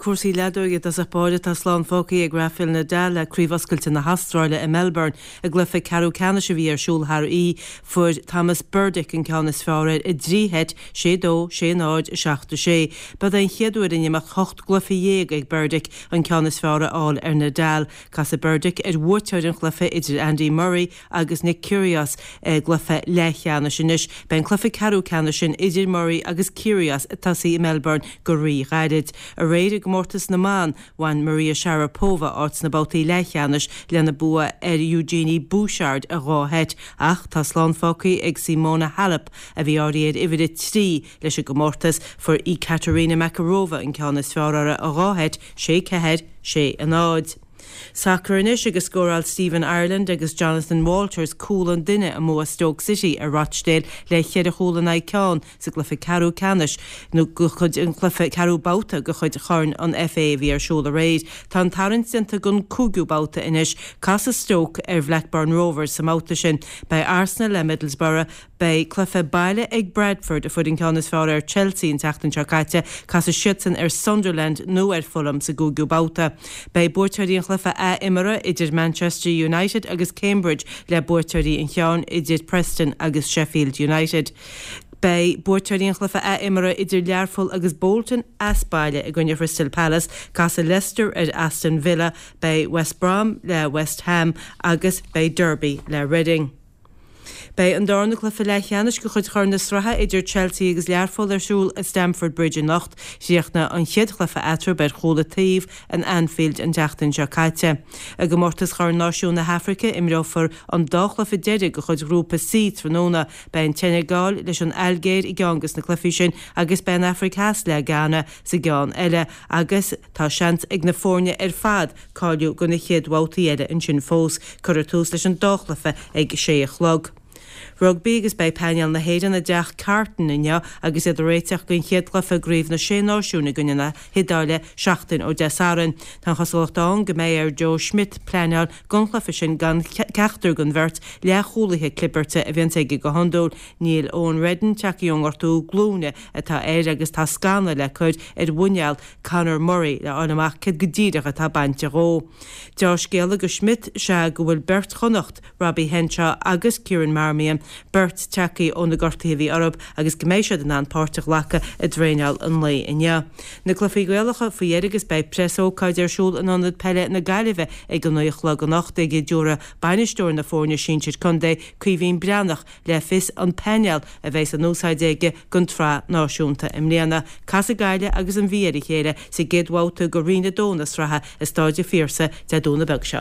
cúrsaí leadóige i dtosach báire. Tá slán fágtha ag Rafael Nadal le Craobh Oscailte na hAstráile i Melbourne. I gcluiche ceathrú ceannais a bhí ar siúl thar oíche, fuair Tomas Berdych an ceann is fearr air i dtrí sheit, 6-2, 6-0, 7-6. B'iod é an chéad uair in imeacht hocht gcluiche dhéag ag Berdych an ceann is fearr a fháil ar Nadal. Casfaidh Berdych ar bhuaiteoir an chluiche idir Andy Murray agus Nick Kyrgios i gcluiche leathcheannais anois. Beidh an cluiche ceathrú ceannais sin idir Murray agus Kyrgios ag tosaí i Melbourne go rí-ghairid. Aréir i gcomórtas na mban, bhain Maria Sharapova áit sna babhtaí leathcheannais lena bua ar Eugenie Bouchard i dhá sheit ach tá slán fágtha ag Simona Halep a bhí áirithe ar uimhir 3 leis an gcomórtas. Fuair Ekaterina Makarova an ceann is fearr uirthi i dhá sheit, 6-4, 6-0. Sacar anois agus scóráil Stephen Ireland agus Jonathan Walters cúl an duine i mbua Stoke City ar Rochdale le cheithre chúl in aghaidh ceann sa gcluiche ceathrú ceannais nó de chuid an chluiche ceathrú babhta de chuid Chorn an FA a bhí ar siúl aréir. Tá an tarraingt déanta don cúigiú babhta anois. Casfaidh Stoke ar Bhlackburn Rovers sa mbabhta sin. Beidh Arsenal le Middlesbrough, Beidh cluiche baile ag Bradford, a fuair an ceann is fearr ar Chelsea an tseachtain seo caite. Casfaidh siadsan ar Sunderland nó ar Fulham sa gcúigiú babhta. Beidh buaiteoirí an chluiche ath-imeartha idir Manchester United agus Cambridge le buaiteoirí an cheann idir Preston agus Sheffield United. Beidh buaiteoirí an chluiche ath-imeartha idir Learpholl agus Bolton as baile i gcoinne Chrystal Palace. Casfaidh Leicester ar Aston Villa, beidh West Brom le West Ham agus beidh Derby le Reading. Beidh an darna cluiche leathcheannais de chuid Chorn na Sraithe idir Chelsea agus Learpholl ar siúl i Stamford Bridge anocht. Chríochnaigh an chéad chluiche eatarthu ar chúl an taobh in Anfield an tseachtain seo caite. I gcomórtas Chorn Náisiún na hAfraice, imreofar an dá chluiche deiridh de chuid Ghrúpa C tráthnóna. Beidh an tSeineagáil leis an Ailgéir i gceann de na cluichí sin agus beidh an Afraic Theas le Ghana sa gceann eile agus tá seans ag na foirne ar fad cáiliú do na chéad bhabhtaí eile ansin fós. Cuirfear tús leis an dá chluiche ag sé a chlog. Rugbaí agus beidh painéal na hÉireann i dTeach Carton inniu agus iad ag réiteach don chéad chluiche i gCraobh na Sé Náisiún i gcoinne na hIodáile seachtain ó Dé Sathairn. Tá an chosúlacht ann go mbeidh ar Joe Schmidt pleanáil don chluiche sin gan ceachtar den bheirt leathchúlaithe clibirte a bhíonns aige go hiondúil. Níl Eoin Reddan tagtha ón ngortú glúine atá air agus tá scanadh le cur ar mhuineál Conor Murray le fháil amach céard go díreach atá bainte dhó. Deá-scéala do Schmidt is ea go bhfuil beirt Chonnacht, Robbie Henshaw agus Kieran Marmion, beirt tagtha ó na gortuithe a bhí orthu agus go mbeidh siad in ann páirt a ghlacadh i dtraenáil an lae inniu. Na cluichí Gaelacha faoi dheireadh agus beidh preasócáid ar siúl in Ionad Peile na Gaillimhe ag a 9 a chlog anocht ag a dtabharfaidh bainisteoir na foirne sinsir contae, Caoimhín Breathnach, le fios an painéal a bheas in úsáid aige don tsraith náisiúnta i mbliana. Casfaidh Gaillimh agus an Mhí ar a chéile sa gcéad bhabhta de Roinn 2 na sraithe i Stáid an Phiarsaigh Dé Domhnaigh beag seo.